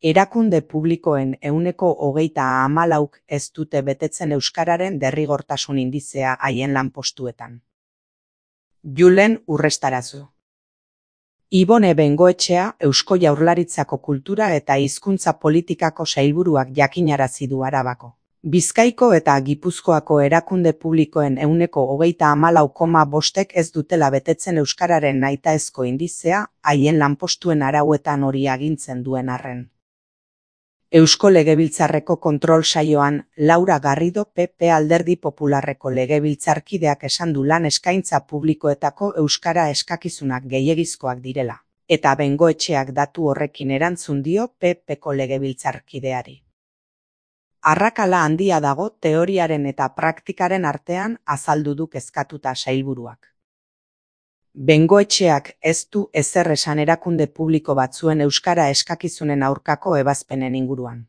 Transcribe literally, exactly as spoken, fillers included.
Erakunde publikoen ehuneko hogeita hamalauk ez dute betetzen euskararen derrigortasun indizea haien lanpostuetan. Julen Urrestarazu. Ibone Bengoetxea Eusko Jaurlaritzako Kultura eta Hizkuntza Politikako sailburuak jakinarazi du Arabako, Bizkaiko eta Gipuzkoako erakunde publikoen ehuneko hogeita hamalau koma bostek ez dutela betetzen euskararen nahitaezko indizea haien lanpostuen arauetan hori agintzen duen arren. Eusko Legebiltzarreko kontrol saioan, Laura Garrido P P Alderdi Popularreko legebiltzarkideak esan du lan eskaintza publikoetako euskara eskakizunak gehiegizkoak direla, eta Bengoetxeak datu horrekin erantzun dio P Pko legebiltzarkideari. Arrakala handia dago teoriaren eta praktikaren artean, azaldu du kezkatuta sailburuak. Bengoetxeak ez du ezer esan erakunde publiko batzuen euskara eskakizunen aurkako ebazpenen inguruan.